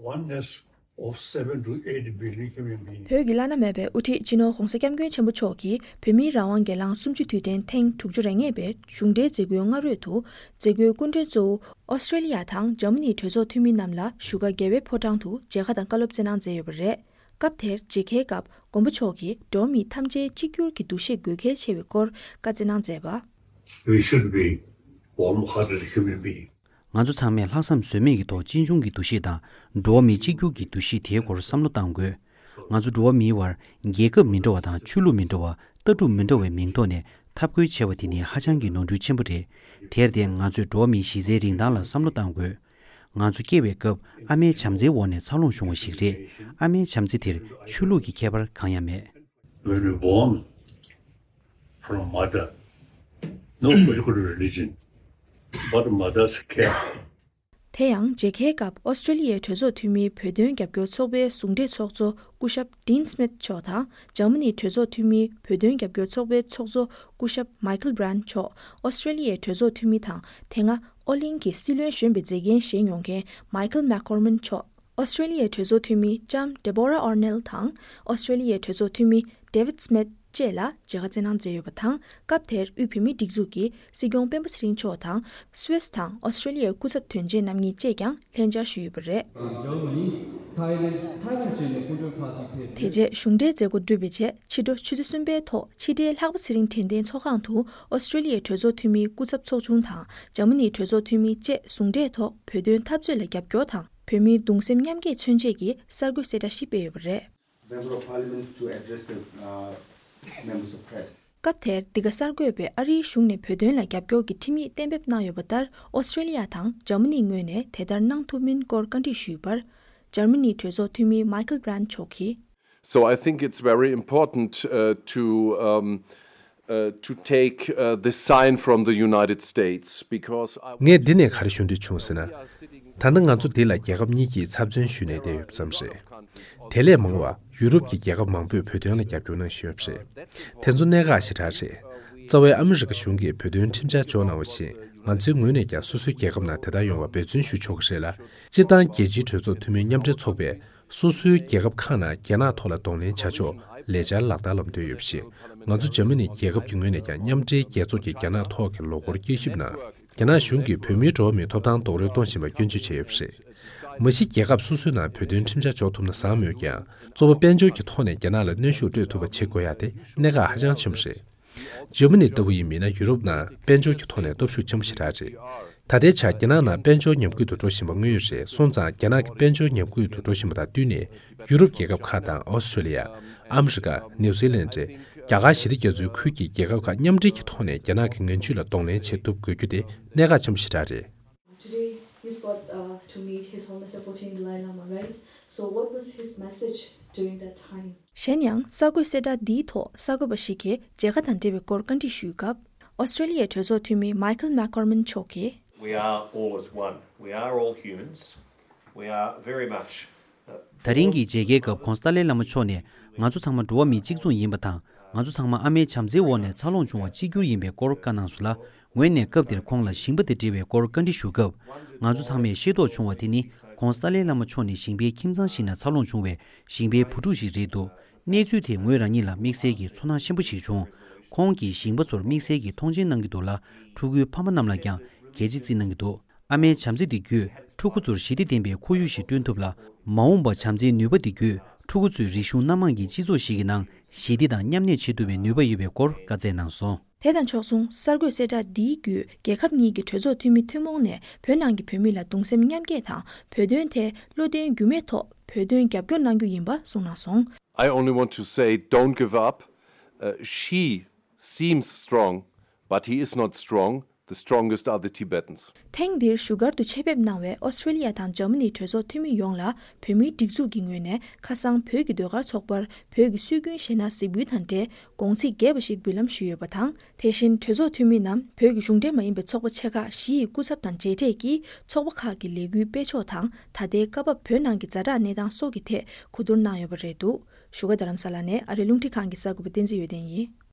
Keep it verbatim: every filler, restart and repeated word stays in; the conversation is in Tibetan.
Oneness of seven to eight billion human beings. བོད་ཀྱི་བླ་ན་མེད་པའི་དབུ་ཁྲིད་སྤྱི་ནོར་༧གོང་ས་༧སྐྱབས་མགོན་ཆེན་པོ་མཆོག་གིས་བོད་མིའི་རང་དབང་སྒེར་ལངས་གསུམ་བཅུ་དུས་དྲན་ཐེངས་དྲུག་ཅུ་རེ་ལྔ་པའི་གཞུང་འབྲེལ་མཛད་སྒོའི་སྔ་རོལ་དུ། མཛད་སྒོའི་སྐུ་མགྲོན་གཙོ་བོ་ཨོ་སི་ཀྲེ་ལི་ཡ་དང་འཇར་མ་ནིའི་གྲོས་ཚོགས་འཐུས་མི་རྣམས་ལ་བཞུགས་སྒར་རྒྱལ་བའི་ཕོ་བྲང་དུ་མཇལ་ཁ་དང་བཀའ་སློབ་སྩལ་གནང་མཛད་ཡོད་པ་རེད། སྐབས་དེར་མཇལ་ཁའི་སྐབས་མགོན་པོ་མཆོག་གིས་འགྲོ་བ་མི་ཐམས་ཅད་གཅིག་གྱུར་གྱི་འདུ་ཤེས་དགོས་གལ་ཆེ་བའི་སྐོར་བཀའ་སྩལ་གནང་མཛད་པ། We should be warm-hearted human being. ང་ཚོ་ཚང་མས་ལྷག་བསམ་ཟོལ་མེད་ཀྱི་ཐོག་གཅེས་འཇོག་གི་འདུ་ཤེས་དང་འགྲོ་བ་མི་གཅིག་གྱུར་གྱི་འདུ་ཤེས་དེའི་སྐོར་བསམ་བློ་གཏང་དགོས། ང་ཚོ་འགྲོ་བ་མིའི་བར་རྒྱལ་ཁབ་མི་འདྲ་བ་དང་ཆོས་ལུགས་མི་འདྲ་བ་ལྟ་གྲུབ་མི་འདྲ་བའི་མིང་ཐོག་ནས་འཐབ་རྒོལ་བྱས་པ་དེ་ནི་ཧ་ཅང་གི་ནོར་འཁྲུལ་ཆེན་པོ་རེད། དེར་བརྟེན་ང་ཚོས་འགྲོ་བ་མིའི་གཞི་རྩའི་རིན་ཐང་ལ་བསམ་བློ་གཏང་དགོས། ང་ཚོ་སྐྱེ་བའི་སྐབས་ཨ་མའི་བྱམས་བརྩེའི་འོག་ནས་འཚར་ལོངས་བྱུང་བ་ཞིག་རེད། ཨ་མའི་བྱམས་བརྩེ་དེར་ཆོས་ལུགས་ཀྱི་ཁྱད་པར་གང་ཡང་མེད། When we born from mother, no particular religion, but mother's care. དེ་ཡང་མཇལ་ཁའི་སྐབས་ཨོ་སི་ཀྲེ་ལི་ཡའི་གྲོས་ཚོགས་འཐུས་མིའི་བོད་དོན་རྒྱབ་སྐྱོར་ཚོགས་པའི་ཟུང་འབྲེལ་ཚོགས་གཙོ་སྐུ་ཞབས་Dean Smith་མཆོག་དང་འཇར་མ་ནིའི་གྲོས་ཚོགས་འཐུས་མིའི་བོད་དོན་རྒྱབ་སྐྱོར་ཚོགས་པའི་ཚོགས་གཙོ་སྐུ་ཞབས་Michael Brandt་མཆོག་ཨོ་སི་ཀྲེ་ལི་ཡའི་གྲོས་ཚོགས་འཐུས་མི་དང་དེ་སྔ་ཨོ་གླིང་གི་སྲིད་བློན་གཞོན་པའི་མཛད་འགན་བཞེས་མྱོང་མཁན་Michael McGorman་མཆོག་ཨོ་སི་ཀྲེ་ལི་ཡའི་གྲོས་ཚོགས་འཐུས་མི་ལྕམ་Deborah Arnall་དང་ཨོ་སི་ཀྲེ་ལི་ཡའི་གྲོས་ཚོགས་འཐུས་མི་David Smith་བཅས་ལ་མཇལ་ཁ་བསྩལ་གནང་མཛད་ཡོད་པ་དང་། སྐབས་དེར་དབུས་བོད་མིའི་སྒྲིག་འཛུགས་ཀྱི་སྲིད་སྐྱོང་སྤེན་པ་ཚེ་རིང་མཆོག་དང་སུད་སི་དང་ཨོ་སི་ཀྲེ་ལི་ཡའི་སྐུ་ཚབ་དོན་གཅོད་རྣམ་གཉིས་བཅས་ཀྱང་ལྷན་བཅར་ཞུས་ཡོད་པ་རེད། Germany, Thailand, Taiwan་བཅས་ནས་སྐུ་མགྲོན་ཁག་ཅིག་ཕེབས། དེ་རྗེས་གཞུང་འབྲེལ་མཛད་སྒོ་གྲུབ་པའི་རྗེས་ཕྱི་དྲོ་ཆུ་ཚོད་གསུམ་པའི་ཐོག་ཕྱི་དྲིལ་ལྷག་པ་ཚེ་རིང་དྲན་རྟེན་ཚོགས་ཁང་དུ་ཨོ་སི་ཀྲེ་ལི་ཡའི་གྲོས་ཚོགས་འཐུས་མིའི་སྐུ་ཚབ་ཚོགས་ཆུང་དང་འཇར་མ་ནིའི་གྲོས་ཚོགས་འཐུས་མི་བཅས་ཟུང་འབྲེལ་ཐོག་བོད་དོན་འཐབ་རྩོད་ལ་རྒྱབ་སྐྱོར་དང་བོད་མིའི་གདུང་སེམས་མཉམ་སྐྱེད་མཚོན་ཆེད་ཀྱི་གསར་འགོད་གསལ་བསྒྲགས་ཤིག་སྤེལ་ཡོད་པ་རེད། Member of Parliament to address the uh, members of press. སྐབས་དེར་འདི་ག་གསར་འགོད་པས་ཨ་རིའི་གཞུང་ནས་བོད་དོན་ལ་རྒྱབ་སྐྱོར་གྱི་ཁྲིམས་ཡིག་གཏན་འབེབས་གནང་ཡོད་པ་ལྟར་ཨོ་སི་ཀྲེ་ལི་ཡ་དང་འཇར་མ་ནིའི་ངོས་ནས་དེ་ལྟར་གནང་ཐུབ་མིན་སྐོར་བཀའ་འདྲི་ཞུས་པར། འཇར་མ་ནིའི་གྲོས་ཚོགས་འཐུས་མི་Michael Brandt་མཆོག་གིས། So I think it's very important uh, to um, uh, to take uh, this sign from the United States because I ངས་འདི་ནས་ག་རེ་ཞུ་འདོད་བྱུང་ཟེར་ན། ད་ལྟ་ང་ཚོ་འདི་ལ་རྒྱལ་ཁབ་གཉིས་ཀྱིས་ཚབ་མཚོན་ཞུས་ནས་བསྡད་ཡོད་པ་ཙམ་རེད། དེ་ལས་མང་བ་ཡུ་རོབ་ཀྱི་རྒྱལ་ཁབ་མང་པོས་བོད་དོན་ལ་རྒྱབ་སྐྱོར་གནང་བཞིན་ཡོད་པ་རེད། དེ་ཚོ་གནད་འགག་ཞེ་དྲག་རེད། རྩ་བའི་ཨ་མི་རི་ཀ་གཞུང་གིས་བོད་དོན་ཁྲིམས་འཆར་འཇོག་གནང་བ་བཞིན་ང་ཚོའི་ངོས་ནས་ཀྱང་སོ་སོའི་རྒྱལ་ཁབ་ནང་དེ་ལྟར་ཡོང་བར་འབད་བརྩོན་ཞུ་ཆོག་གི་རེད་ལ། སྤྱིར་བཏང་རྒྱལ་སྤྱིའི་གྲོས་ཚོགས་འཐུས་མི་མཉམ་འབྲེལ་ཚོགས་པས། སོ་སོའི་རྒྱལ་ཁབ་ཁག་ནང་རྒྱ་ནག་ཐོག་ལ་གདོང་ལེན་བྱ་ཕྱོགས་ལས་འཆར་ལག་བསྟར་ལམ་སྟོན་ཡོད་པ་བཞིན། ང་ཚོ་འཇར་མ་ནི་རྒྱལ་ཁབ་ཀྱི་ངོས་ནས་ཀྱང་མཉམ་འབྲེལ་རྒྱལ་ཚོགས་ཀྱི་རྒྱ་ནག་ཐོག་གི་ལོ་འཁོར་དཀྱིལ་ཞིབ་ནང་། རྒྱ་ནག་གཞུང་གིས་བོད་མིའི་འགྲོ་བ་མིའི་ཐོབ་ཐང་རྡོག་རོལ་གཏོང་བཞིན་པར་སྐྱོན་བརྗོད་བྱས་ཡོད་པ་རེད། མ་གཞི་རྒྱལ་ཁབ་སོ་སོའི་ནང་བོད་དོན་ཁྲིམས་འཆར་འཇོག་ཐུབ་ན་བཟང་མོད་ཀྱང་། གཙོ་བོ་དཔལ་འབྱོར་གྱི་ཐོག་ནས་རྒྱ་ནག་ལ་གནོན་ཤུགས་སྤྲོད་ཐུབ་པ་བྱེད་དགོས་ཡ་དེ་གནད་འགག་ཧ་ཅང་ཆེན་པོ་རེད། འཇར་མ་ནི་ལྟ་བུ་ཡིན་མིན་ན་ཡུ་རོབ་ནང་དཔལ་འབྱོར་གྱི་ཐོག་ནས་སྟོབས་ཤུགས་ཆེན་པོ་ཞེ་དྲག་རེད། ད་ལྟའི་ཆར་རྒྱ་ནག་ནང་དཔལ་འབྱོར་ཉམས་རྒུད་དུ་འགྲོ་བཞིན་པ་དངོས་ཡོད་རེད། སོང་ཙང་རྒྱ་ནག་གི་དཔལ་འབྱོར་ཉམས་རྒུད་དུ་འགྲོ་བཞིན་པ་དང་བསྟུན་ནས་ཡུ་རོབ་རྒྱལ་ཁབ་ཁག་དང་ཨོ་སི་ཀྲེ་ལི་ཡ། ཨ་མི་རི་ཀ། ནིའུ་ཛི་ལན་ཌི། རྒྱ་གར་ཞི་བདེ་རྒྱ་མཚོའི་ཁུལ་གྱི་རྒྱལ་ཁབ་ཁག་མཉམ་འབྲེལ་གྱི་ཐོག་ནས་རྒྱ་ནག་གི་ངན་ཇུས་ལ་གདོང་ལེན་བྱེད་ཐུབ་དགོས་རྒྱུ་དེ་གནད་འགག་ཆེན་པོ་ཞེ་དྲག་རེད། Today, you've got uh, to meet His Holiness the fourteenth Dalai Lama, right? So, what was his message during that time? གཞན་ཡང་གསར་འགོད་གསལ་བསྒྲགས་འདིའི་ཐོག་གསར་འགོད་པ་ཞིག་གིས་མཇལ་ཁ་དང་འབྲེལ་བའི་སྐོར་བཀའ་འདྲི་ཞུས་སྐབས། ཨོ་སི་ཀྲེ་ལི་ཡའི་གྲོས་ཚོགས་འཐུས་མི་Michael McGorman་མཆོག་གིས། We are all as one. We are all humans. We are very much. Uh, ད་རིང་གི་མཇལ་ཁའི་སྐབས་ཁོང་ཏཱ་ལའི་བླ་མ་མཆོག་ནས་ང་ཚོ་ཚང་མ་འགྲོ་བ་མི་གཅིག་མཚུངས་ཡིན་པ་དང་། ང་ཚོ་ཚང་མ་ཨ་མའི་བྱམས་བརྩེའི་འོག་ནས་འཚར་ལོངས་བྱུང་བ་གཅིག་གྱུར་ཡིན་པའི་སྐོར་བཀའ་གནང་སོང་ལ། ངོས་ནས་སྐབས་དེར་ཁོང་ལ་ཞིང་པ་དང་འབྲེལ་བའི་སྐོར་བཀའ་འདྲི་ཞུ་སྐབས། ང་ཚོ་ཚང་མས་ཤེས་རྟོགས་བྱུང་བ་དེ་ནི། ཁོང་ཏཱ་ལའི་བླ་མ་མཆོག་ནི་ཞིང་པའི་ཁྱིམ་ཚང་ཞིག་ནང་འཚར་ལོངས་བྱུང་བའི་ཞིང་པའི་བུ་ཕྲུག་ཞིག་རེད་འདུག་གནས་ཚུལ་དེས་ངོས་རང་ཉིད་ལ་དམིགས་བསལ་གྱི་ཚོར་སྣང་ཆེན་པོ་ཞིག་བྱུང་། ཁོང་གིས་ཞིང་པ་ཚོར་དམིགས་བསལ་གྱི་མཐོང་ཆེན་གནང་གི་འདུག་ལ། ཕྲུ་གུའི་ཕ་མ་རྣམས་ལ་ཀྱང་གལ་ཆེ་བརྩི་གནང་གི་འདུག་ཨ་མའི་བྱམས་བརྩེ་འདི་བརྒྱུད་ཕྲུ་གུ་ཚོར་ཞི་བདེ་ལྡན་པའི་ཁོར་ཡུག་ཞིག་བསྐྲུན་ཐུབ་ལ། མ་འོངས་པར་བྱམས་བརྩེའི་ནུས་པ་འདི་བརྒྱུད་ཕྲུ་གུ་ཚོས་རིག་གཞུང་སྣ་མང་གི་སྤྱི་ཚོགས་ཤིག་གི་ནང་ཞི་བདེ་དང་མཉམ་གནས་བྱེད་ཐུབ་པའི་ནུས་པ་ཡོད་པའི་སྐོར་བཀའ་སྩལ་གནང་སོང་། དེ་དང་ཕྱོགས་མཚུངས་གསར་འགོད་གསལ་བསྒྲགས་འདིའི་བརྒྱུད་རྒྱལ་ཁབ་གཉིས་ཀྱི་གྲོས་ཚོགས་འཐུས་མི་ཐུན་མོང་ནས་བོད་ནང་གི་བོད་མི་ལ་གདུང་སེམས་མཉམ་སྐྱེད་དང་བོད་དོན་ཐད་བློ་འདོན་འགྱུར་མེད་ཐོག་བོད་དོན་རྒྱབ་སྐྱོར་གནང་རྒྱུ་ཡིན་པ་གསུངས་གནང་སོང་། I only want to say, don't give up. Uh, she seems strong, but he is not strong. The strongest are the Tibetans. ཐེངས་འདིར་བཞུགས་སྒར་དུ་ཆེད་ཕེབས་གནང་བའི་ཨོ་སི་ཀྲེ་ལི་ཡ་དང་འཇར་མ་ནིའི་གྲོས་ཚོགས་འཐུས་མི་ཡོངས་ལ་བོད་མིའི་སྒྲིག་འཛུགས་ཀྱི་ངོས་ནས་ཁ་སང་བོད་ཀྱི་ཟློས་གར་ཚོགས་པར་བོད་ཀྱི་སྲོལ་རྒྱུན་གཞས་སྣ་གཟིགས་འབུལ་དང་འབྲེལ་དགོངས་ཚིག་རྒྱས་པ་ཞིག་འབུལ་ལམ་ཞུས་ཡོད་པ་དང་། དེ་བཞིན་གྲོས་ཚོགས་འཐུས་མི་རྣམས་བོད་ཀྱི་གཞུང་འབྲེལ་མ་ཡིན་པའི་ཚོགས་པ་ཆེ་ཁག་བཞི་ཡི་སྐུ་ཚབ་དང་མཇལ་འཕྲད་ཀྱིས་ཚོགས་པ་ཁག་གི་ལས་འགུལ་སྤེལ་ཕྱོགས་དང་། ད་ལྟའི་སྐབས་བབ་བོད་ནང་གི་ཛ་དྲག་གནས་སྟངས་སོགས་ཀྱི་ཐད་གོ་བསྡུར་གནང་ཡོད་པ་རེད་འདུག་བཞུགས་སྒར་རྡ་རམ་ས་ལ་ནས་ཨ་རིའི་རླུང་འཕྲིན་ཁང་གི་གསར་འགོད་པ་བསྟན་འཛིན་འོད་ལྡན་ཡིན།